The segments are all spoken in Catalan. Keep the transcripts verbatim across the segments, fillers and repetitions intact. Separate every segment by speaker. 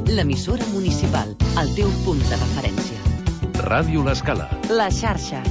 Speaker 1: l'emissora municipal, el teu punt de referència.
Speaker 2: Ràdio L'Escala.
Speaker 1: La xarxa.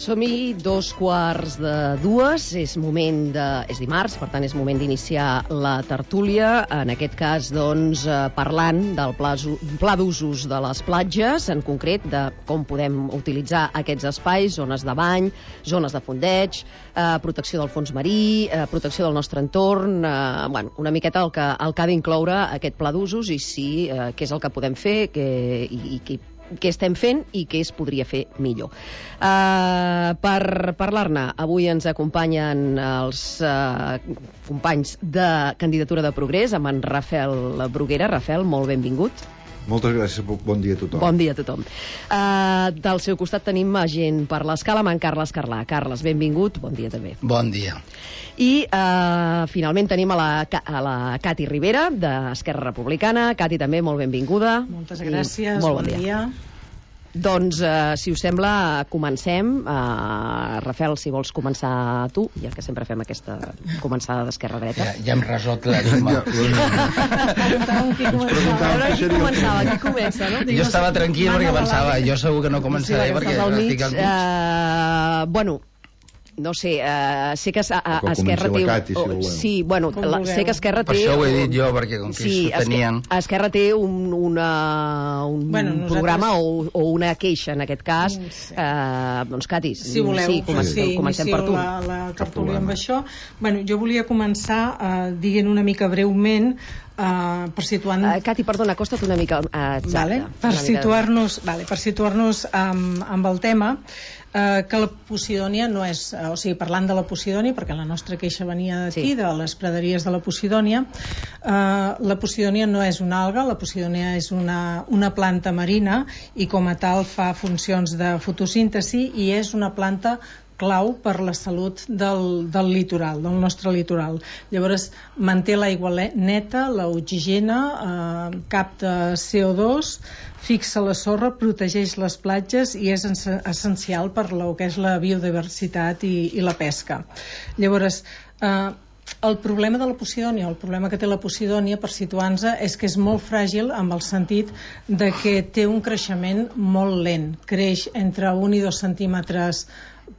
Speaker 3: Som-hi dos quarts de dues, és moment de... és dimarts, per tant és moment d'iniciar la tertúlia, en aquest cas doncs parlant del pla, pla d'usos de les platges, en concret de com podem utilitzar aquests espais, zones de bany, zones de fondeig, eh, protecció del fons marí, eh, protecció del nostre entorn, eh, bueno, una miqueta el que, el que ha d'incloure aquest pla d'usos i sí, eh, què és el que podem fer que, i, i què què estem fent i què es podria fer millor. Uh, per parlar-ne, avui ens acompanyen els uh, companys de Candidatura de Progrés, amb en Rafel Bruguera. Rafel, molt benvingut.
Speaker 4: Moltes gràcies, bon dia a tothom.
Speaker 3: Bon dia a tothom. Uh, del seu costat tenim gent per l'Escala, amb en Carles Carlà. Carles, benvingut, bon dia també.
Speaker 5: Bon dia.
Speaker 3: I uh, finalment tenim a la, a la Cati Rivera, d'Esquerra Republicana. Cati, també, molt benvinguda.
Speaker 6: Moltes gràcies,
Speaker 3: molt
Speaker 6: bon, bon dia. dia.
Speaker 3: Doncs, uh, si us sembla, comencem. Uh, Rafel, si vols començar tu, ja que sempre fem aquesta començada d'esquerra-dreta.
Speaker 5: Ja, ja hem resolt la lluma.
Speaker 3: Qui començava? Qui comença, no?
Speaker 5: Jo estava tranquil perquè pensava, jo segur que no començaré
Speaker 3: sí,
Speaker 5: perquè estic al mig.
Speaker 3: Uh, bueno, no sé, uh, sé que a, a, a Esquerra té...
Speaker 4: Cati, si
Speaker 3: oh, sí, bueno, la, sé que Esquerra té...
Speaker 5: Per això ho he dit jo, perquè com que
Speaker 3: sí,
Speaker 5: s'ho tenien...
Speaker 3: Esquerra, Esquerra té un, una, un bueno, nosaltres... programa o, o una queixa, en aquest cas. Sí. Uh, doncs, Cati,
Speaker 6: si voleu,
Speaker 3: sí, comencem,
Speaker 6: sí,
Speaker 3: comencem per tu.
Speaker 6: La, la tertúlia amb això. Bueno, jo volia començar uh, dient una mica breument Uh, per situar-nos...
Speaker 3: Uh, Cati, perdona, acosta't una mica... Uh, exacte,
Speaker 6: vale. Per situar-nos vale, per situar-nos amb, amb el tema, uh, que la Posidònia no és... Uh, o sigui, parlant de la Posidònia, perquè la nostra queixa venia d'aquí, sí, de les praderies de la Posidònia, uh, la Posidònia no és una alga, la Posidònia és una, una planta marina i com a tal fa funcions de fotosíntesi i és una planta clau per la salut del, del litoral, del nostre litoral. Llavors, manté l'aigua neta, l'oxigena, eh, capta C O dos, fixa la sorra, protegeix les platges i és essencial per lo que és la biodiversitat i, i la pesca. Llavors, eh, el problema de la Posidònia, el problema que té la Posidònia, per situar-nos, és que és molt fràgil amb el sentit de que té un creixement molt lent. Creix entre un i dos centímetres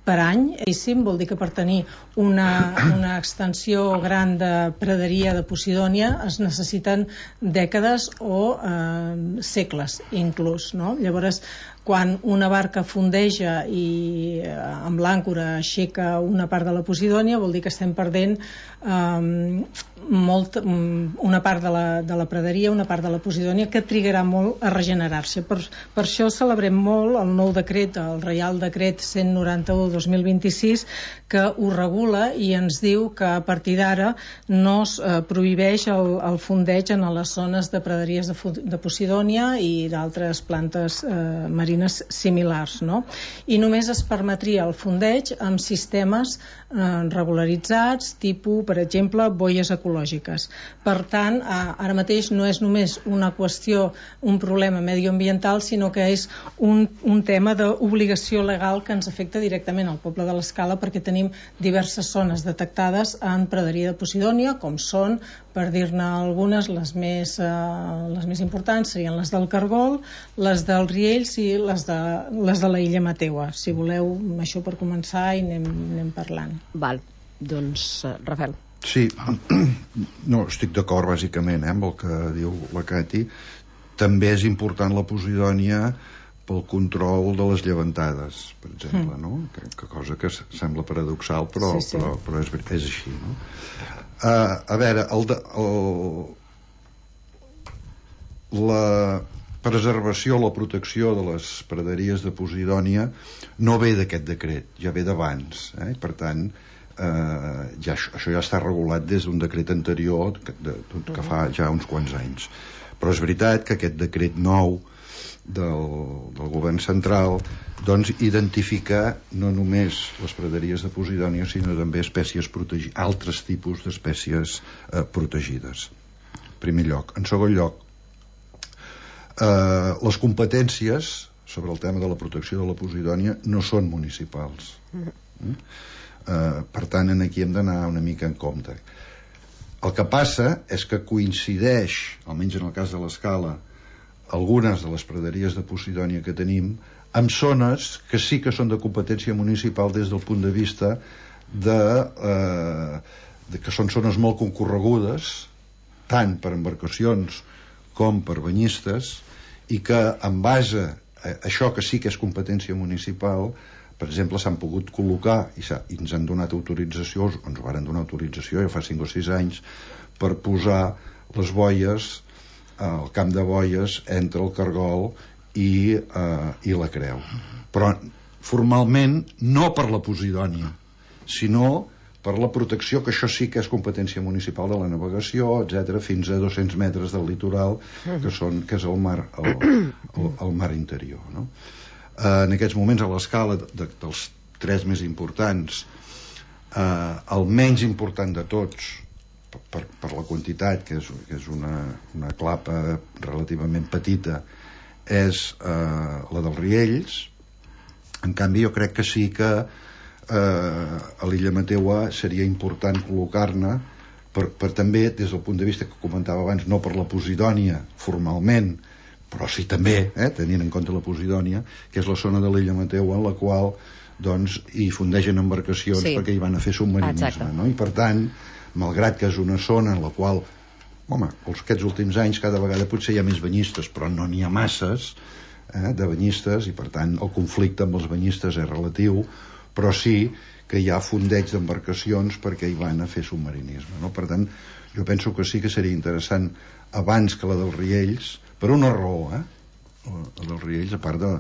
Speaker 6: per any, vol dir que per tenir una, una extensió gran de praderia de Posidònia es necessiten dècades o eh, segles inclús, no? Llavors, quan una barca fondeja i eh, amb l'àncora aixeca una part de la Posidònia, vol dir que estem perdent eh, molt, una part de la, de la praderia, una part de la Posidònia que trigarà molt a regenerar-se. Per, per això celebrem molt el nou decret, el Reial Decret cent noranta-u dos mil vint-i-sis, que ho regula i ens diu que a partir d'ara no es eh, prohibeix el, el fondeig en les zones de praderies de, de Posidònia i d'altres plantes eh, marines similars, no? I només es permetria el fondeig amb sistemes eh, regularitzats, tipus, per exemple, boies ecològiques. Per tant, eh, ara mateix no és només una qüestió, un problema medioambiental, sinó que és un, un tema d'obligació legal que ens afecta directament al poble de l'Escala, perquè tenim diverses zones detectades en praderia de Posidònia, com són, per dir-ne algunes, les més, eh, les més importants serien les del Cargol, les dels Riells i les de, les de la Illa Mateua. Si voleu, això per començar i anem, anem parlant.
Speaker 3: Val, doncs, uh, Rafel.
Speaker 4: Sí, no, estic d'acord bàsicament eh, amb el que diu la Cati. També és important la Posidònia pel control de les llevantades, per exemple, no? Que, que cosa que sembla paradoxal, però, sí, sí. però, però és, és així, no? Uh, a veure, el de, el, la preservació, la protecció de les praderies de Posidònia no ve d'aquest decret, ja ve d'abans, eh? Per tant, eh, ja, això ja està regulat des d'un decret anterior que, de, que fa ja uns quants anys. Però és veritat que aquest decret nou del, del govern central doncs identifica no només les praderies de Posidònia sinó també espècies protegides, altres tipus d'espècies eh, protegides, en primer lloc. En segon lloc, eh, les competències sobre el tema de la protecció de la posidònia no són municipals. Mm? Eh, per tant, aquí hem d'anar una mica en compte. El que passa és que coincideix, almenys en el cas de l'Escala, algunes de les praderies de posidònia que tenim amb zones que sí que són de competència municipal des del punt de vista de, eh, de que són zones molt concorregudes tant per embarcacions com per banyistes, i que en base a això que sí que és competència municipal, per exemple, s'han pogut col·locar i, i ens han donat autorització, ens varen donar autorització ja fa cinc o sis anys, per posar les boies, el camp de boies entre el Cargol i, eh, i la Creu, però formalment no per la posidònia, sinó per la protecció, que això sí que és competència municipal de la navegació, etcètera, fins a dos-cents metres del litoral, que, són, que és el mar, el, el, el mar interior, no? Eh, en aquests moments, a l'escala de, dels tres més importants, eh, el menys important de tots, per, per la quantitat, que és, que és una, una clapa relativament petita, és eh, la dels Riells. En canvi, jo crec que sí que eh, a l'illa Mateua seria important col·locar-ne per, per també, des del punt de vista que comentava abans, no per la posidònia formalment, però sí també, eh, tenint en compte la posidònia, que és la zona de l'illa Mateua en la qual doncs, hi fundeixen embarcacions, sí, perquè hi van a fer submarinisme, no? I per tant, malgrat que és una zona en la qual, home, aquests últims anys cada vegada potser hi ha més banyistes, però no n'hi ha masses eh, de banyistes, i per tant el conflicte amb els banyistes és relatiu, però sí que hi ha fondeig d'embarcacions perquè hi van a fer submarinisme, no? Per tant, jo penso que sí que seria interessant, abans que la dels Riells, per una raó, eh? La dels Riells, a part de,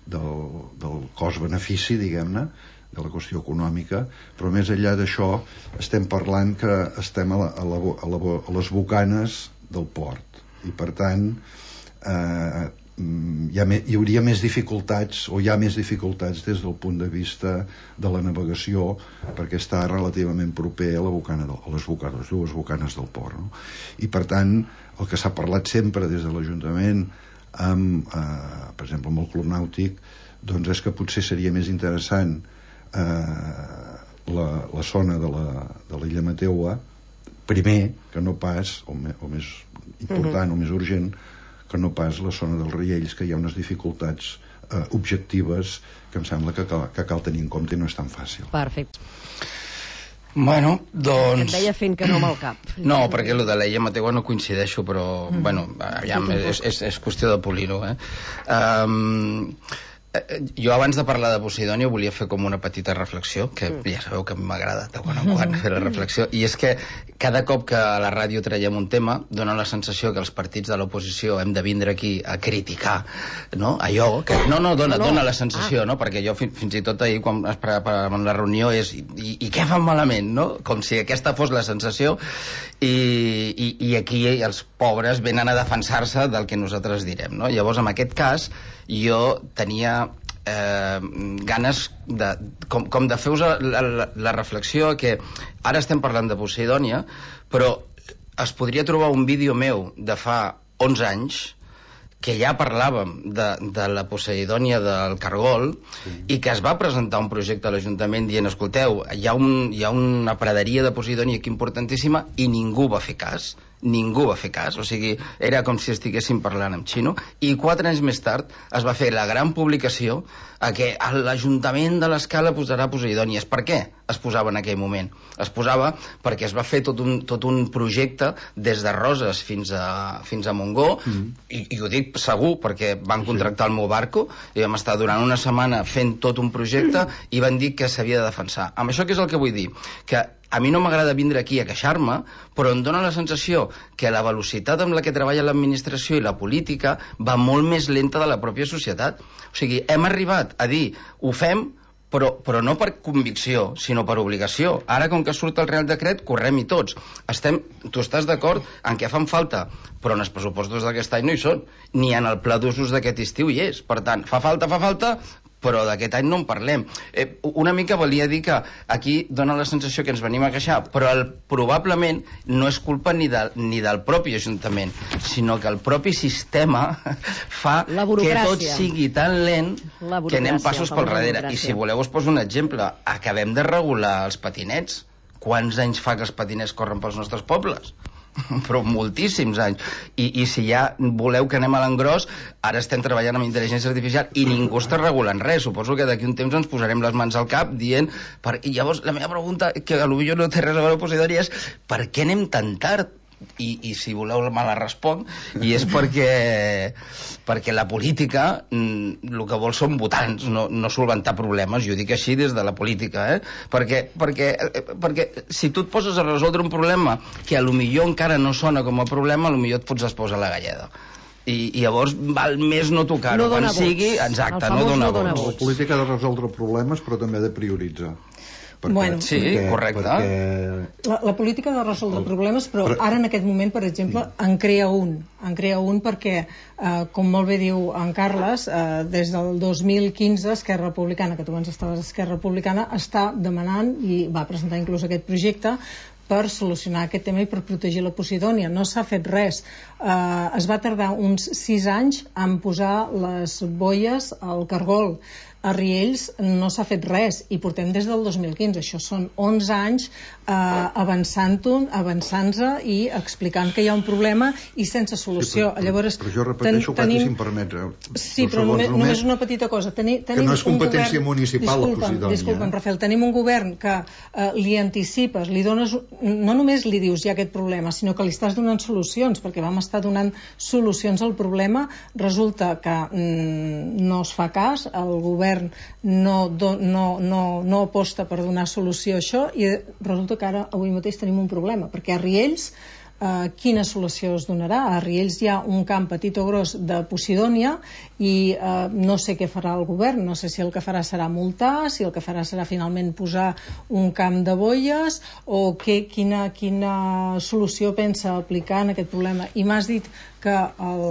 Speaker 4: del, del cost-benefici, diguem-ne, de la qüestió econòmica, però més enllà d'això estem parlant que estem a, la, a, la, a, la, a les bocanes del port, i per tant eh, hi, ha me, hi hauria més dificultats, o hi ha més dificultats des del punt de vista de la navegació, perquè està relativament proper a, la bocana del, a les bocanes, dues bocanes del port, no? I per tant el que s'ha parlat sempre des de l'Ajuntament amb, eh, per exemple, amb el Club Nàutic, doncs és que potser seria més interessant eh, la, la zona de la, de l'illa Mateua primer, que no pas, o, me, o més important, uh-huh, o més urgent, que no pas la zona dels Riells, que hi ha unes dificultats eh, objectives que em sembla que cal, que cal tenir en compte i no és tan fàcil.
Speaker 3: Perfecte.
Speaker 5: Bueno, doncs...
Speaker 3: Et deia fent que no amb el cap.
Speaker 5: No, perquè el de l'illa Mateua no coincideixo, però, mm. bueno, aviam, és, és, és qüestió de polir-ho, eh? Um, jo abans de parlar de Posidònia volia fer com una petita reflexió, que mm. ja sabeu que a mi m'agrada de quan en quan fer la reflexió, i és que cada cop que a la ràdio traiem un tema dona la sensació que els partits de l'oposició hem de vindre aquí a criticar, no? Allò que... No, no, dona, no. dona la sensació, ah. no? Perquè jo fins, fins i tot ahir quan es preparava la reunió és i, i, i què fan malament, no? Com si aquesta fos la sensació, i, i, i aquí els pobres venen a defensar-se del que nosaltres direm, no? Llavors, en aquest cas, jo tenia eh, ganes de, com, com de fer-vos la, la, la reflexió que ara estem parlant de Posidònia, però es podria trobar un vídeo meu de fa onze anys que ja parlàvem de, de la Posidònia del Cargol, sí, i que es va presentar un projecte a l'Ajuntament dient, escolteu, hi ha, un, hi ha una praderia de Posidònia aquí importantíssima, i ningú va fer cas, ningú va fer cas, o sigui, era com si estiguéssim parlant en xino, i quatre anys més tard es va fer la gran publicació a que l'Ajuntament de l'Escala posarà Posidònies. Per què es posava en aquell moment? Es posava perquè es va fer tot un, tot un projecte des de Roses fins a, fins a Montgó, mm. i, i ho dic segur perquè van contractar el meu barco i vam estar durant una setmana fent tot un projecte i van dir que s'havia de defensar. Amb això què és el que vull dir? Que a mi no m'agrada vindre aquí a queixar-me, però em dóna la sensació que la velocitat amb la que treballa l'administració i la política va molt més lenta de la pròpia societat. O sigui, hem arribat a dir, ho fem, però, però no per convicció, sinó per obligació. Ara, com que surt el Real Decret, correm-hi tots. Estem, tu estàs d'acord en què fan falta, però en els pressupostos d'aquest any no hi són, ni en el pla d'usos d'aquest estiu hi és. Per tant, fa falta, fa falta, però d'aquest any no en parlem. Eh, una mica volia dir que aquí dona la sensació que ens venim a queixar, però el, probablement no és culpa ni, de, ni del propi Ajuntament, sinó que el propi sistema fa que tot sigui tan lent que anem passos pel darrere. I si voleu us poso un exemple. Acabem de regular els patinets. Quants anys fa que els patinets corren pels nostres pobles? Però moltíssims anys. I, i si ja voleu que anem a l'engròs, ara estem treballant amb intel·ligència artificial i ningú està regulant res. Suposo que d'aquí un temps ens posarem les mans al cap dient... Per... I llavors la meva pregunta, que potser no té res a veure amb Posidònia, és per què anem tan tard? I, i si voleu me la responc, i és perquè perquè la política mm, el que vol són votants, no, no solventar problemes. Jo dic així des de la política, eh? perquè, perquè, perquè si tu et poses a resoldre un problema que a lo millor encara no sona com a problema, a lo millor et fots les pous a la galleda. I, i llavors val més no tocar-ho.
Speaker 3: No
Speaker 5: quan sigui, exacte, no dona vots.
Speaker 4: La política ha de resoldre problemes, però també ha de prioritzar.
Speaker 6: Perquè, bueno,
Speaker 5: sí, perquè, correcte.
Speaker 6: Perquè... La, la política ha de resoldre el... problemes, però ara en aquest moment, per exemple, en crea un. En crea un perquè, eh, com molt bé diu en Carles, eh, des del dos mil quinze Esquerra Republicana, que tu abans estaves a Esquerra Republicana, està demanant, i va presentar inclús aquest projecte, per solucionar aquest tema i per protegir la Posidònia. No s'ha fet res. Eh, es va tardar uns sis anys en posar les boies al Cargol. A Riells no s'ha fet res i portem des del dos mil quinze. Això són onze anys eh, avançant-ho, avançant-se i explicant que hi ha un problema i sense solució.
Speaker 4: Sí, però,
Speaker 6: Llavors,
Speaker 4: però jo repeteixo, ten, tenim... si em permets.
Speaker 6: Sí, però només, només una petita cosa. Teni, tenim
Speaker 4: que no és competència
Speaker 6: govern...
Speaker 4: municipal,
Speaker 6: disculpa'm,
Speaker 4: la Posidònia.
Speaker 6: Disculpa'm, Rafael, tenim un govern que eh, li anticipes, li dones... No només li dius hi ha aquest problema, sinó que li estàs donant solucions, perquè vam estar donant solucions al problema. Resulta que mm, no es fa cas, el govern no, do, no, no, no aposta per donar solució a això i resulta que ara avui mateix tenim un problema, perquè a Riells Uh, quina solució es donarà? A Riells hi ha un camp petit o gros de Posidònia i uh, no sé què farà el govern, no sé si el que farà serà multar, si el que farà serà finalment posar un camp de boies o que, quina, quina solució pensa aplicar en aquest problema. I m'has dit que el,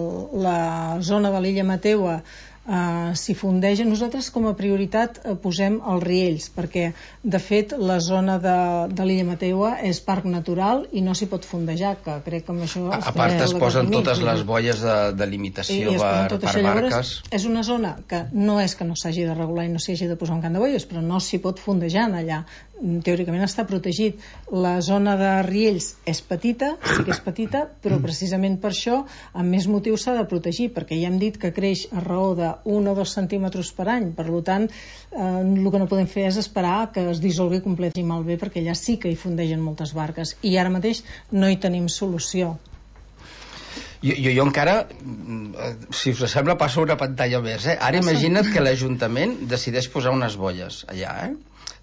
Speaker 6: la zona de l'illa Mateua Uh, s'hi fondeja. Nosaltres com a prioritat uh, posem els Riells, perquè de fet la zona de, de l'illa Mateua és parc natural i no s'hi pot fondejar, que crec que amb això
Speaker 5: a, a part es posen totes les boies de, de limitació per, per barques.
Speaker 6: És una zona que no és que no s'hagi de regular i no s'hi hagi de posar un camp de boies, però no s'hi pot fondejar allà. Teòricament està protegit. La zona de Riells és petita, sí que és petita, però precisament per això amb més motiu s'ha de protegir, perquè ja hem dit que creix a raó de un o dos centímetres per any. Per tant, eh, el que no podem fer és esperar que es dissolgui complet i malbé, perquè allà sí que hi fondegen moltes barques i ara mateix no hi tenim solució.
Speaker 5: Jo, jo, jo encara, si us sembla, passo una pantalla més. Eh? Ara imagina't que l'Ajuntament decideix posar unes boies allà, eh?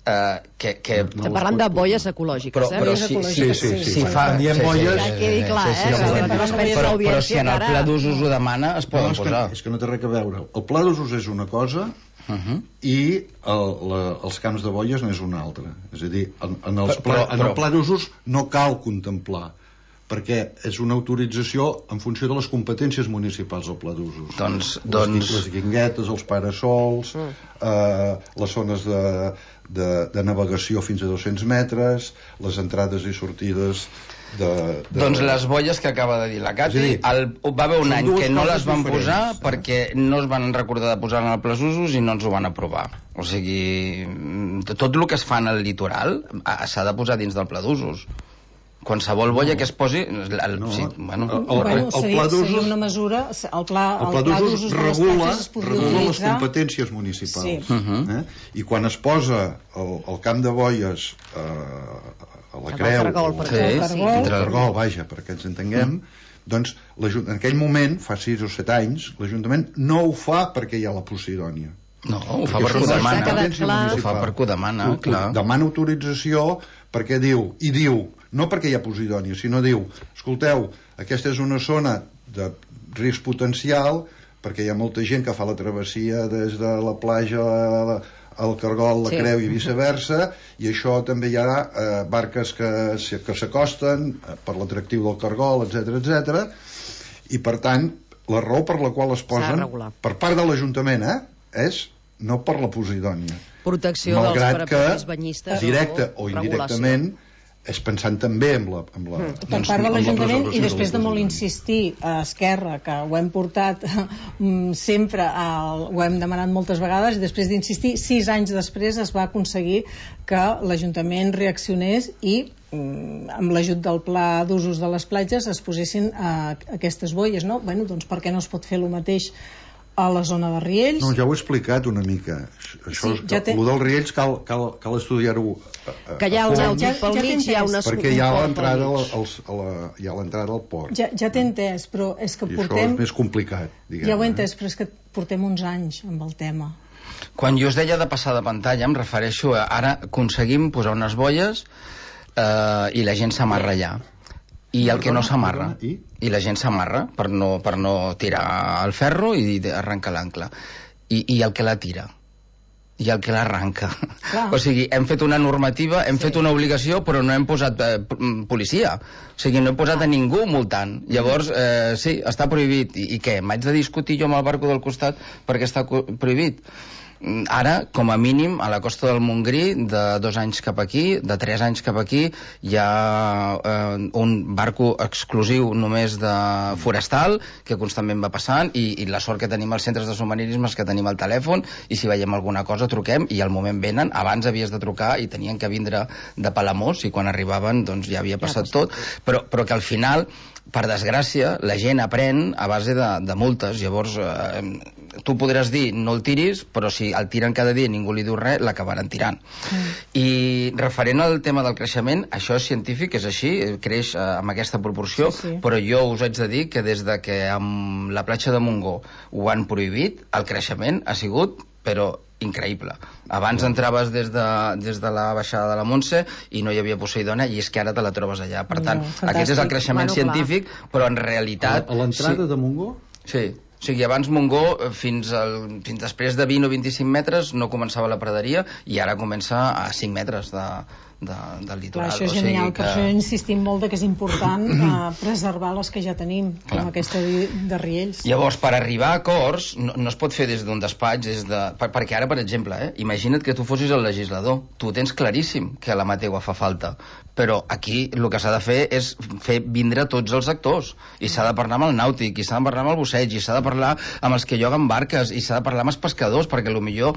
Speaker 5: Uh, que, que...
Speaker 3: Estem parlant de boies ecològiques,
Speaker 5: però,
Speaker 3: eh?
Speaker 5: però si, sí, sí, sí, si fa...
Speaker 4: Diem boies...
Speaker 3: Ja quedi clar, eh?
Speaker 5: Però, però si en el Pla d'Usos ho demana, es poden
Speaker 4: no, és
Speaker 5: posar.
Speaker 4: Que, és que no té res a veure. El Pla d'Usos és una cosa uh-huh. i el, la, els camps de boies n'és una altra. És a dir, en, en, els pla, però, però... en el Pla d'Usos no cal contemplar, perquè és una autorització en funció de les competències municipals del Pla d'Usos.
Speaker 5: Doncs,
Speaker 4: les,
Speaker 5: doncs...
Speaker 4: les guinguetes, els parasols, mm. eh, les zones de, de, de navegació fins a dos-cents metres, les entrades i sortides de... de...
Speaker 5: Doncs les boies que acaba de dir la Cati, dir, el, va haver un any que no les van diferents. posar perquè no es van recordar de posar en el Pla d'Usos i no ens ho van aprovar. O sigui, tot el que es fa en el litoral s'ha de posar dins del Pla d'Usos. Qualsevol boia no. que es posi el, el,
Speaker 4: no.
Speaker 5: sí, bueno,
Speaker 6: el, el, el, el Pla d'Usos una mesura, el Pla,
Speaker 4: el Pla d'Usos regula, regula les competències municipals sí. uh-huh. eh? I quan es posa el, el camp de boies eh, a la Creu
Speaker 3: el Cargol,
Speaker 4: o,
Speaker 3: sí,
Speaker 4: el
Speaker 3: Cargol,
Speaker 4: sí. Cargol, vaja, perquè ens entenguem uh-huh. doncs en aquell moment, fa sis o set anys l'Ajuntament no ho fa perquè hi ha la Posidònia.
Speaker 5: No, ho fa perquè ho demana. Ho fa perquè ho demana, ho, clar.
Speaker 4: Demana autorització perquè diu, i diu, no perquè hi ha Posidònia, sinó diu, escolteu, aquesta és una zona de risc potencial perquè hi ha molta gent que fa la travessia des de la platja al Cargol, la sí. Creu i viceversa, i això també hi ha eh, barques que, que s'acosten per l'atractiu del Cargol, etcètera, etcètera, i per tant, la raó per la qual es posen, per part de l'Ajuntament, eh, és no per la Posidònia.
Speaker 3: Protecció
Speaker 4: Malgrat
Speaker 3: dels propis banyistes.
Speaker 4: Directe o indirectament, és pensant també en la... En la
Speaker 6: mm. Per part de l'Ajuntament, i després de molt insistir a Esquerra, que ho hem portat sempre, al, ho hem demanat moltes vegades, i després d'insistir, sis anys després es va aconseguir que l'Ajuntament reaccionés i amb l'ajut del pla d'usos de les platges es posessin a aquestes boies, no? Bueno, doncs per què no es pot fer el mateix a la zona de Riells?
Speaker 4: No, ja ho he explicat una mica. Això, sí, ja té... El dels Riells cal, cal, cal estudiar-ho.
Speaker 3: Que hi ha el nàutic pel mig, hi ha una...
Speaker 4: Perquè hi ha l'entrada hi ha l'entrada al port.
Speaker 6: Ja, ja t'he entès, però és que
Speaker 4: I
Speaker 6: portem...
Speaker 4: això és més complicat, diguem.
Speaker 6: Ja ho he entès, però és que portem uns anys amb el tema.
Speaker 5: Quan jo us deia de passar de pantalla, em refereixo a ara aconseguim posar unes boies eh, i la gent s'amarra allà. I el que no s'amarra, I? i la gent s'amarra per no, per no tirar el ferro i arrencar l'ancle. I, I el que la tira, i el que l'arranca. O sigui, hem fet una normativa, hem sí. fet una obligació, però no hem posat eh, policia. O sigui, no hem posat a ningú multant. Llavors, eh, sí, està prohibit. I, i què? M'haig de discutir jo amb el barco del costat perquè està prohibit? Ara, com a mínim, a la costa del Montgrí, de dos anys cap aquí, de tres anys cap aquí, hi ha eh, un barco exclusiu només de forestal, que constantment va passant, i, i la sort que tenim als centres de submarinisme és que tenim el telèfon, i si veiem alguna cosa truquem, i al moment venen. Abans havies de trucar i tenien que vindre de Palamós, i quan arribaven doncs ja havia passat tot, però, però que al final, per desgràcia, la gent aprèn a base de, de multes. Llavors, eh, tu podràs dir no el tiris, però si el tiren cada dia i ningú li diu res, l'acabaran tirant. Mm. I referent al tema del creixement, això és científic, és així, creix eh, amb aquesta proporció, sí, sí. Però jo us haig de dir que des de que amb la platja de Montgó ho han prohibit, el creixement ha sigut, però increïble. Abans entraves des de, des de la baixada de la Montse i no hi havia Poseidona, i és que ara te la trobes allà. Per tant, no, aquest és el creixement bueno, científic, clar. Però en realitat...
Speaker 4: A, a l'entrada sí. de Montgó?
Speaker 5: Sí. O sigui, abans Montgó, fins, al, fins després de vint o vint-i-cinc metres, no començava la praderia, i ara comença a cinc metres de, de, del litoral.
Speaker 6: Clar, això és genial, o sigui que... per això insistim molt que és important eh, preservar les que ja tenim, clar. Com aquesta de, de Riells.
Speaker 5: Llavors, per arribar a acords, no, no es pot fer des d'un despatx, des de... Per, perquè ara, per exemple, eh, imagina't que tu fossis el legislador, tu tens claríssim que la Mategua fa falta, però aquí el que s'ha de fer és fer vindre tots els actors, i s'ha de parlar amb el nàutic, i s'ha de parlar amb el busseig, i s'ha de parlar amb els que lloguen barques, i s'ha de parlar amb els pescadors, perquè potser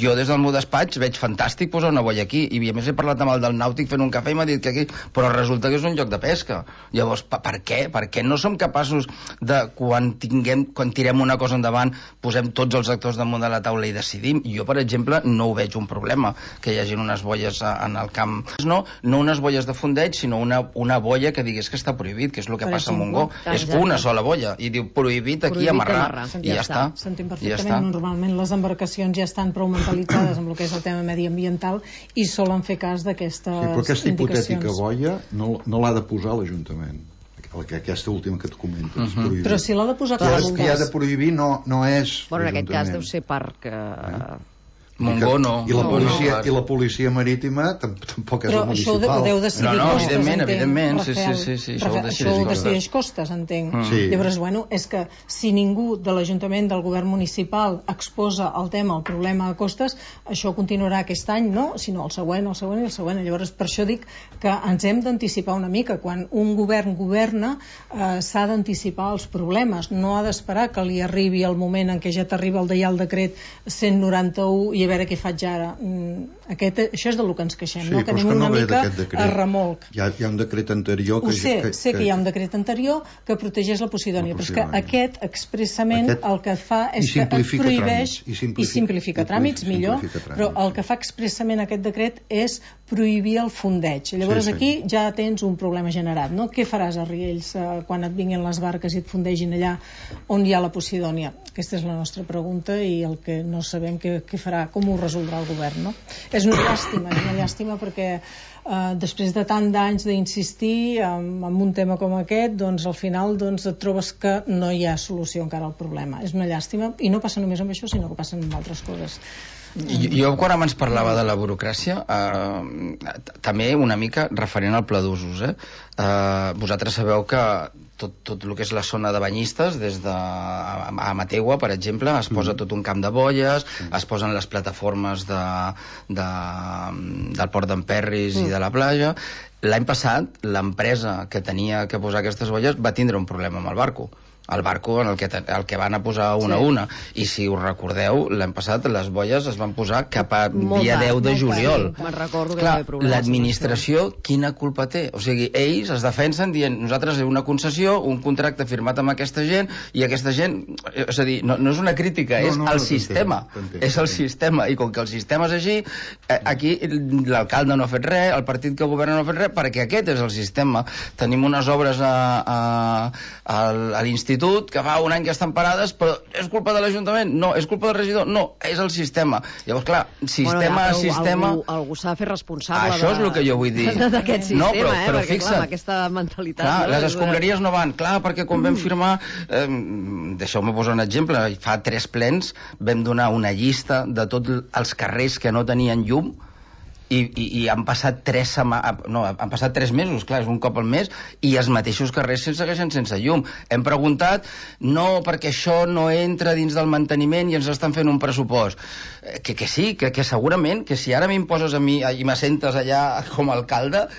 Speaker 5: jo des del meu despatx veig fantàstic posar una boia aquí, i a més he parlat amb el del nàutic fent un cafè i m'ha dit que aquí, però resulta que és un lloc de pesca. Llavors, per, per què? Per què no som capaços de, quan tinguem, quan tirem una cosa endavant, posem tots els actors damunt de la taula i decidim? Jo, per exemple, no ho veig un problema, que hi hagi unes boies en el camp. No, no unes boies de fondeig, sinó una, una boia que digués que està prohibit, que és el que per passa exemple, a Montgó. És una sola boia, i diu prohibit aquí prohibit amarrar, amarrar, i ja, ja està.
Speaker 6: S'entén perfectament. Ja normalment les embarcacions ja estan prou mentalitzades amb el que és el tema mediambiental i solen fer cas d'aquestes
Speaker 4: sí, però aquesta hipotètica boia no, no l'ha de posar l'Ajuntament, aquesta última que et comentes. Uh -huh.
Speaker 6: Però si l'ha de posar
Speaker 4: clar, els que ha de prohibir no, no és
Speaker 3: bueno, en aquest cas deu ser parc eh?
Speaker 5: Montgó no.
Speaker 4: I la
Speaker 5: no,
Speaker 4: policia,
Speaker 5: no, no.
Speaker 4: I la policia marítima tampoc és
Speaker 6: però
Speaker 4: la municipal.
Speaker 6: Però això ho deu decidir
Speaker 5: no, no,
Speaker 6: Costes,
Speaker 5: evidentment,
Speaker 6: entenc,
Speaker 5: evidentment, sí,
Speaker 6: Rafael.
Speaker 5: sí, sí, sí,
Speaker 6: Rafael, això ho decideix Costes, entenc. Mm. Sí. Llavors, bueno, és que si ningú de l'Ajuntament, del govern municipal, exposa el tema, el problema a Costes, això continuarà aquest any, no? Sinó el següent, el següent i el següent. Llavors, per això dic que ens hem d'anticipar una mica. Quan un govern governa, eh, s'ha d'anticipar els problemes. No ha d'esperar que li arribi el moment en què ja t'arriba el Reial Decret cent noranta-u i a veure què faig ara. Aquest, això és del que ens queixem,
Speaker 4: sí,
Speaker 6: no? Que anem
Speaker 4: que no
Speaker 6: una mica a remolc.
Speaker 4: Hi ha, hi ha un decret anterior que...
Speaker 6: Ho sé,
Speaker 4: que,
Speaker 6: sé que, que hi ha un decret anterior que protegeix la Posidònia, però és que aquest expressament aquest, el que fa és que et prohibeix
Speaker 4: tràmits, i simplifica,
Speaker 6: i simplifica tràmits, millor,
Speaker 4: simplifica tràmits.
Speaker 6: Però el que fa expressament aquest decret és prohibir el fondeig. Llavors sí, sí. Aquí ja tens un problema generat, no? Què faràs a Riells eh, quan et vinguin les barques i et fondegin allà on hi ha la Posidònia? Aquesta és la nostra pregunta i el que no sabem què, què farà, com ho resoldrà el govern, no? És una llàstima, és una llàstima perquè eh, després de tant d'anys d'insistir en, en un tema com aquest, doncs al final doncs, et trobes que no hi ha solució encara al problema. És una llàstima i no passa només amb això, sinó que passen amb altres coses.
Speaker 5: Jo, jo quan abans parlava de la burocràcia, eh, també una mica referent al pla d'usos, eh? Eh, vosaltres sabeu que tot, tot el que és la zona de banyistes, des de a, a Mategua, per exemple, es posa tot un camp de bolles, es posen les plataformes de, de, del port d'Emperris mm. i de la platja. L'any passat, l'empresa que tenia que posar aquestes bolles va tindre un problema amb el barco. El barco en el que, el que van a posar una sí. a una. I si us recordeu, l'any passat les bolles es van posar cap a molt dia deu de juliol.
Speaker 3: Me'n recordo que
Speaker 5: Clar,
Speaker 3: hi havia problemes.
Speaker 5: L'administració, quina culpa té? O sigui, ells es defensen dient nosaltres una concessió, un contracte firmat amb aquesta gent, i aquesta gent... És a dir, no, no és una crítica, no, és no, el no, sistema. T'entenc, és el sistema. I com que el sistema és així, aquí l'alcalde no ha fet res, el partit que governa no ha fet res, perquè aquest és el sistema. Tenim unes obres a, a, a, a l'institut que fa un any que estan parades, però és culpa de l'Ajuntament? No. És culpa del regidor? No. És el sistema. Llavors, clar, sistema a bueno, sistema...
Speaker 3: Algú, algú s'ha de fer responsable
Speaker 5: Això és el que jo vull dir.
Speaker 3: d'aquest sistema,
Speaker 5: no, però,
Speaker 3: eh?
Speaker 5: però
Speaker 3: perquè,
Speaker 5: fixa't,
Speaker 3: clar, aquesta mentalitat...
Speaker 5: Clar,
Speaker 3: no?
Speaker 5: les escombraries no van. Clar, perquè quan mm. vam firmar... Eh, deixeu-me posar un exemple. Fa tres plens vam donar una llista de tots els carrers que no tenien llum, I, i, i han passat tres sema... no, han passat tres mesos, clar, és un cop al mes, i els mateixos carrers se'n segueixen sense llum. Hem preguntat, no, perquè això no entra dins del manteniment i ens estan fent un pressupost. Que, que sí, que, que segurament, que si ara m'imposes a mi i m'assentes allà com a alcalde,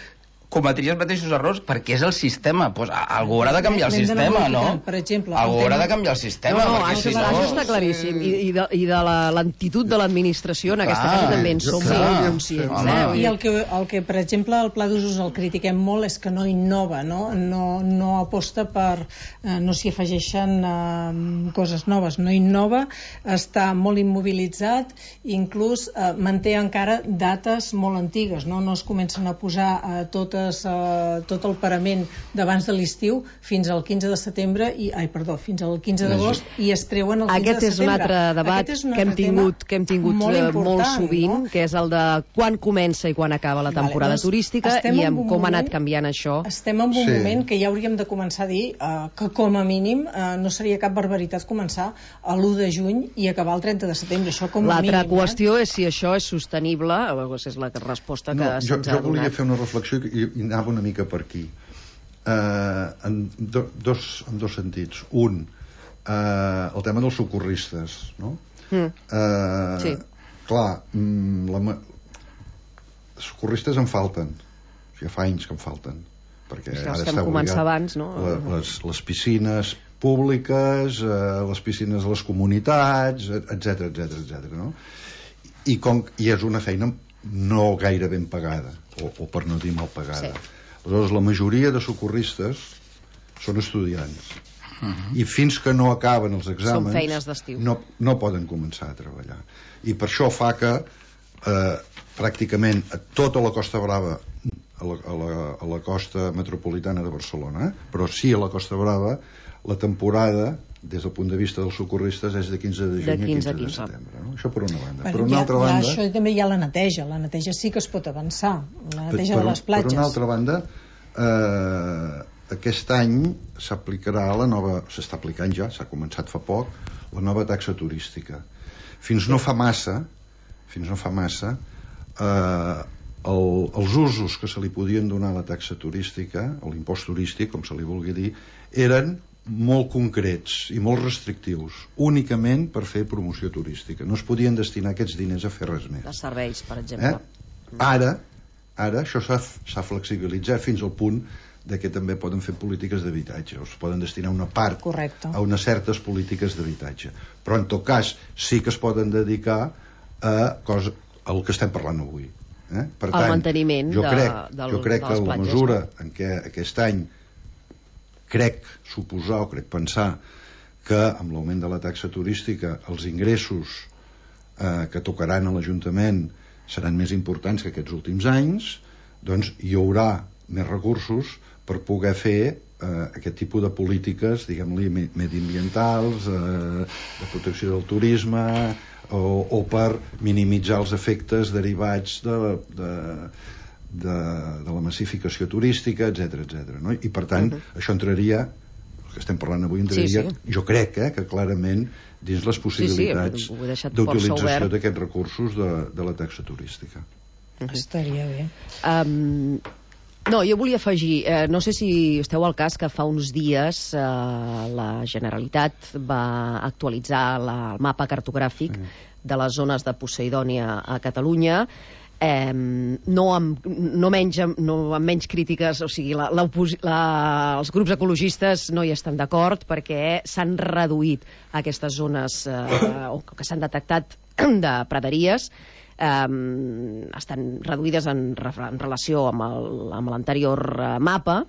Speaker 5: cometria els mateixos errors, perquè és el sistema. Pues, algú haurà de canviar el sistema, no?
Speaker 6: Per exemple,
Speaker 5: algú haurà de canviar el sistema.
Speaker 3: No, no,
Speaker 5: perquè
Speaker 3: això,
Speaker 5: si no...
Speaker 3: això està claríssim. I, i de, i de la lentitud de l'administració en aquesta casa també en som molt conscients. Eh?
Speaker 6: I el que, el que, per exemple, el pla d'usos el critiquem molt és que no innova, no, no, no aposta per... Eh, no s'hi afegeixen eh, coses noves. No innova, està molt immobilitzat, inclús eh, manté encara dates molt antigues, no, no es comencen a posar eh, totes Uh, tot el parament d'abans de l'estiu fins al quinze de setembre i, ai, perdó, fins al quinze d'agost i es treuen el quinze
Speaker 3: Aquest
Speaker 6: de setembre.
Speaker 3: Aquest és un altre debat un que hem tingut, que hem tingut molt, molt sovint, no? Que és el de quan comença i quan acaba la temporada vale, doncs turística i amb com ha anat canviant això.
Speaker 6: Estem en un sí. moment que ja hauríem de començar a dir uh, que com a mínim uh, no seria cap barbaritat començar a l'u de juny i acabar el trenta de setembre. Això com a mínim.
Speaker 3: L'altra qüestió eh? és si això és sostenible, és la resposta que
Speaker 4: no,
Speaker 3: se'ns
Speaker 4: jo,
Speaker 3: ha donat.
Speaker 4: Jo volia fer una reflexió i i anava una mica per aquí eh, en, do, dos, en dos sentits. Un, eh, el tema dels socorristes, no? Mm. Eh, sí. Clar, la, socorristes en falten, ja fa anys que en falten, perquè
Speaker 3: sí,
Speaker 4: ara
Speaker 3: està
Speaker 4: està
Speaker 3: obligat abans, no?
Speaker 4: la, les, les piscines públiques, eh, les piscines de les comunitats, etcètera, etcètera, etcètera, no? I, com, i és una feina no gaire ben pagada, o, o per no dir mal pagada. Sí. Aleshores, la majoria de socorristes són estudiants. Uh-huh. I fins que no acaben els exàmens...
Speaker 3: Són feines d'estiu.
Speaker 4: No, no poden començar a treballar. I per això fa que eh, pràcticament a tota la Costa Brava, a la, a la, a la costa metropolitana de Barcelona, eh, però sí a la Costa Brava, la temporada des del punt de vista dels socorristes és de quinze de juny a quinze de setembre, no? Això per una banda.
Speaker 6: Per,
Speaker 4: per una
Speaker 6: ja,
Speaker 4: altra banda...
Speaker 6: Ja, això també hi ha la neteja, la neteja sí que es pot avançar, la neteja per, de les platges.
Speaker 4: Per una altra banda, eh, aquest any s'aplicarà la nova, s'està aplicant ja, s'ha començat fa poc, la nova taxa turística. Fins no fa massa, fins no fa massa, eh, el, els usos que se li podien donar a la taxa turística, o l'impost turístic, com se li vulgui dir, eren molt concrets i molt restrictius, únicament per fer promoció turística. No es podien destinar aquests diners a fer res més.
Speaker 3: De serveis, per exemple.
Speaker 4: Eh? Ara, ara això s'ha flexibilitzat fins al punt de que també poden fer polítiques d'habitatge, o es poden destinar una part
Speaker 6: Correcte.
Speaker 4: A unes certes polítiques d'habitatge. Però en tot cas sí que es poden dedicar a cosa, al que estem parlant avui. Eh? Per tant,
Speaker 3: el manteniment
Speaker 4: jo
Speaker 3: de,
Speaker 4: crec,
Speaker 3: del,
Speaker 4: jo crec
Speaker 3: de les
Speaker 4: que la
Speaker 3: platges,
Speaker 4: mesura
Speaker 3: no?
Speaker 4: en què aquest any crec suposar o crec pensar que amb l'augment de la taxa turística els ingressos eh, que tocaran a l'Ajuntament seran més importants que aquests últims anys, doncs hi haurà més recursos per poder fer eh, aquest tipus de polítiques, diguem-li, mediambientals, eh, de protecció del turisme, o, o per minimitzar els efectes derivats de, de, de, de la massificació turística, etcètera, etcètera, no? I per tant, uh-huh. això entraria, que estem parlant avui, sí, sí. jo crec eh, que clarament dins les possibilitats
Speaker 3: sí, sí,
Speaker 4: d'utilització d'aquests recursos de, de la taxa turística.
Speaker 6: Uh-huh. Estaria bé.
Speaker 3: Um, no, jo volia afegir, eh, no sé si esteu al cas que fa uns dies eh, la Generalitat va actualitzar la, el mapa cartogràfic sí. de les zones de Poseidònia a Catalunya. Eh, no, amb, no, menys, no amb menys crítiques, o sigui, la, la, la, els grups ecologistes no hi estan d'acord perquè s'han reduït aquestes zones eh, o que s'han detectat de praderies, eh, estan reduïdes en, en relació amb l'anterior mapa,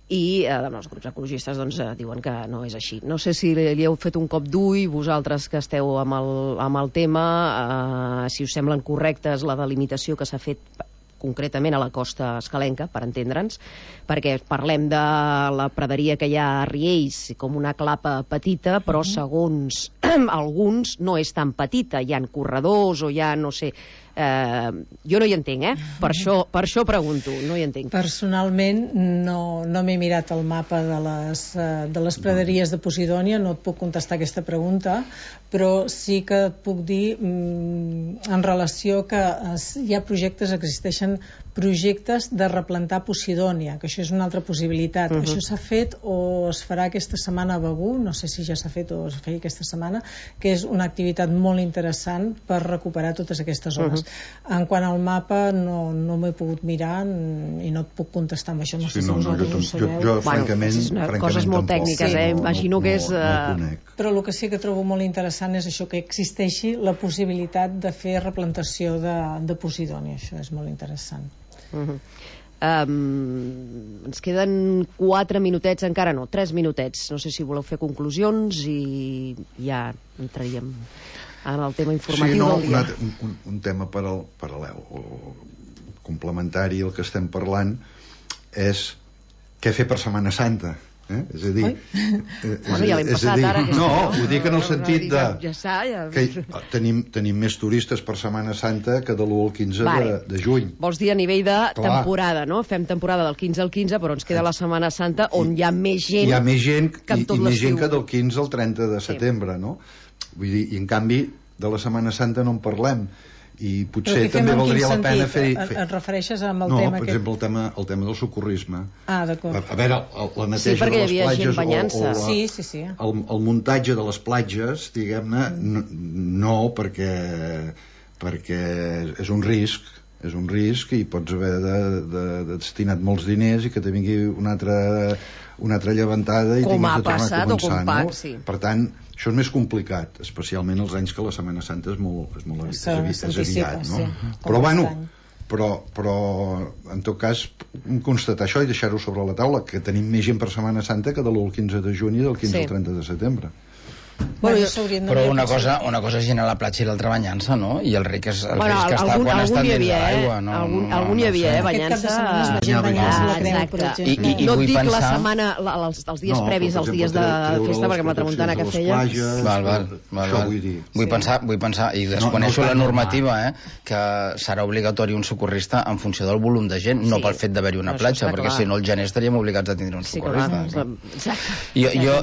Speaker 3: i eh, els grups ecologistes doncs, eh, diuen que no és així. No sé si li, li heu fet un cop d'ull, vosaltres que esteu amb el, amb el tema, eh, si us semblen correctes la delimitació que s'ha fet concretament a la costa escalenca, per entendre'ns, perquè parlem de la praderia que hi ha a Riells com una clapa petita, però segons alguns no és tan petita, hi ha corredors o hi ha, no sé, eh, jo no hi entenc, eh? Per això, per això pregunto, no hi entenc.
Speaker 6: Personalment no, no m'he mirat el mapa de les, de les praderies de Posidònia, no et puc contestar aquesta pregunta, però sí que et puc dir mm, en relació que hi ha projectes, existeixen projectes de replantar Posidònia, que això és una altra possibilitat. Uh-huh. Això s'ha fet o es farà aquesta setmana a Begur, no sé si ja s'ha fet o es feia aquesta setmana, que és una activitat molt interessant per recuperar totes aquestes zones. Uh-huh. En quant al mapa no, no m'he pogut mirar i no et puc contestar amb això, no sé sí, si no, vosaltres no, jo, ho sabeu.
Speaker 4: Jo, jo francament,
Speaker 3: bueno, francament coses molt tampoc, tècniques, sí, eh? No, imagino no, que és... Uh... No
Speaker 6: però el que sí que trobo molt interessant és això, que existeixi la possibilitat de fer replantació de, de Posidònia, això és molt interessant.
Speaker 3: Uh-huh. Um, ens queden quatre minutets, encara no, tres minutets, no sé si voleu fer conclusions i ja entraríem en el tema informatiu sí, no, del dia.
Speaker 4: Un, un, un tema paral, paral·lel o complementari al que estem parlant és què fer per Setmana Santa. Eh? És a dir,
Speaker 3: eh, bueno, ja l'hem passat
Speaker 4: dir,
Speaker 3: ara
Speaker 4: no, ho dic en el sentit de
Speaker 3: ja està, ja...
Speaker 4: que tenim, tenim més turistes per Setmana Santa que de l'u al quinze vale. de, de juny.
Speaker 3: Vols dir a nivell de Clar. temporada, no? Fem temporada del quinze al quinze, però ens queda la Setmana Santa on hi ha més gent,
Speaker 4: hi ha més gent
Speaker 3: que
Speaker 4: i, i més gent que del quinze al trenta de setembre, sí. no? Vull dir, i en canvi de la Setmana Santa no en parlem. I potser també valdria la pena fer, fer...
Speaker 6: Et refereixes amb el
Speaker 4: no,
Speaker 6: tema
Speaker 4: per
Speaker 6: aquest?
Speaker 4: exemple el tema, el tema del socorrisme.
Speaker 6: Ah, d'acord.
Speaker 4: A, a veure, el, la neteja
Speaker 3: sí,
Speaker 4: de les platges o, o la,
Speaker 6: sí, sí, sí.
Speaker 4: El, el muntatge de les platges, diguem-ne, no, no perquè, perquè és un risc és un risc i pots haver de, de, de destinat molts diners i que te vingui una altra, una altra llevantada i
Speaker 3: com
Speaker 4: tinguis de tornar
Speaker 3: passat,
Speaker 4: a començar,
Speaker 3: no?
Speaker 4: no?
Speaker 3: Sí.
Speaker 4: Per tant, això és més complicat, especialment els anys que la Setmana Santa és molt, és molt aviat, és, és aviat, no? Sí, però bueno, però, però en tot cas constatar això i deixar-ho sobre la taula, que tenim més gent per Setmana Santa que de l'u al quinze de juny i del quinze sí. al trenta de setembre.
Speaker 5: Bueno, però una cosa, una cosa és anar a la platja i l'altra banyant-se, no? I el ric és el
Speaker 3: bueno,
Speaker 5: risc que està
Speaker 3: algun,
Speaker 5: quan estan dins de l'aigua,
Speaker 3: no? Algun, no, algun hi havia, eh? Banyant-se...
Speaker 6: Exacte.
Speaker 3: I, i, i no et dic pensar... la setmana, la, els, els dies no, previs als dies de festa, perquè amb la tramuntana que feia...
Speaker 4: Plages,
Speaker 5: val, val, val, val. Vull, dir. vull, sí. pensar, vull pensar, i desconeixo no, no la normativa, eh? Que serà obligatori un socorrista en funció del volum de gent, no sí. pel fet d'haver-hi una platja, perquè si no el gener estaríem obligats a tindre un socorrista. Jo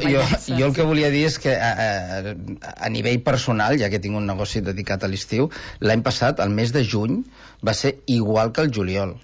Speaker 5: el que volia dir és que a nivell personal, ja que tinc un negoci dedicat a l'estiu, l'any passat, el mes de juny, va ser igual que el juliol.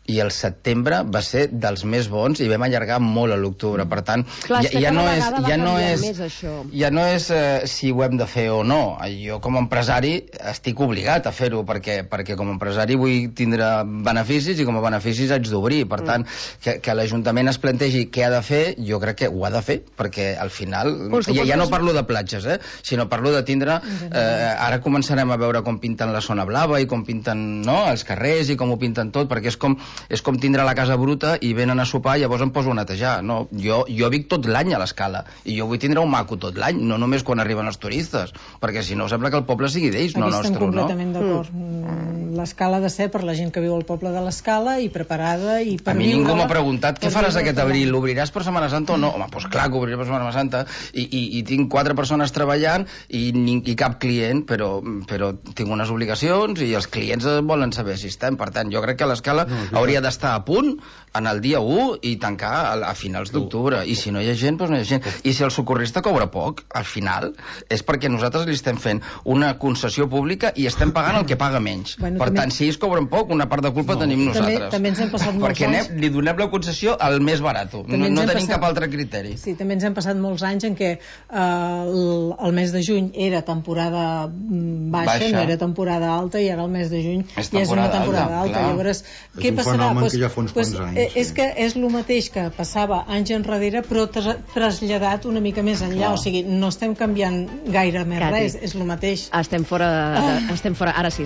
Speaker 5: I el setembre va ser dels més bons i vam allargar molt a l'octubre. Per tant,
Speaker 3: Clar,
Speaker 5: ja, ja, no és, ja no és
Speaker 3: més això.
Speaker 5: ja no és eh, si ho hem de fer o no. Jo com a empresari estic obligat a fer-ho perquè, perquè com a empresari vull tindre beneficis i com a beneficis haig d'obrir. Per tant, mm. que, que l'Ajuntament es plantegi què ha de fer, jo crec que ho ha de fer, perquè al final pues, ja, ja no parlo de platges, eh, sinó parlo de tindre eh, ara començarem a veure com pinten la zona blava i com pinten, no, els carrers i com ho pinten tot, perquè és com és com tindre la casa bruta i venen a sopar i llavors em poso a netejar. No, jo, jo vic tot l'any a l'Escala i jo vull tindre un maco tot l'any, no només quan arriben els turistes, perquè si no sembla que el poble sigui d'ells, no nostre, no?
Speaker 6: Estem completament d'acord. Mm. l'Escala ha de ser per la gent que viu al poble de l'Escala i preparada i per
Speaker 5: a mi ningú m'ha preguntat què faràs
Speaker 6: viure-la.
Speaker 5: aquest abril, l'obriràs per Setmana Santa o no? Home, doncs clar que obriré per Setmana Santa i, i, i tinc quatre persones treballant i, ni, i cap client, però, però tinc unes obligacions i els clients volen saber si estem. Per tant, jo crec que l'Escala no, hauria d'estar a punt en el dia u i tancar a, a finals d'octubre. I si no hi ha gent, doncs no hi ha gent. I si el socorrista cobra poc, al final, és perquè nosaltres li estem fent una concessió pública i estem pagant el que paga menys.
Speaker 6: Bueno,
Speaker 5: per
Speaker 6: també...
Speaker 5: tant, si ells cobren poc, una part de culpa no. tenim nosaltres.
Speaker 6: També, també ens hem passat molts
Speaker 5: perquè
Speaker 6: anys...
Speaker 5: anem, li donem la concessió al més barat. No, no tenim passat... cap altre criteri.
Speaker 6: Sí, també ens hem passat molts anys en què eh, el, el mes de juny era temporada baixa, baixa, no era temporada alta, i ara el mes de juny és ja és una temporada alta. alta. Llavors,
Speaker 4: és
Speaker 6: què
Speaker 4: un
Speaker 6: passarà?
Speaker 4: Pues,
Speaker 6: que
Speaker 4: ja fa uns
Speaker 6: pues,
Speaker 4: anys.
Speaker 6: És que és el mateix que passava anys enrere, però tra traslladat una mica més enllà. Clar. O sigui, no estem canviant gaire més
Speaker 3: Cati,
Speaker 6: res, és el mateix.
Speaker 3: Estem fora, de,
Speaker 6: ah.
Speaker 3: estem fora, ara sí,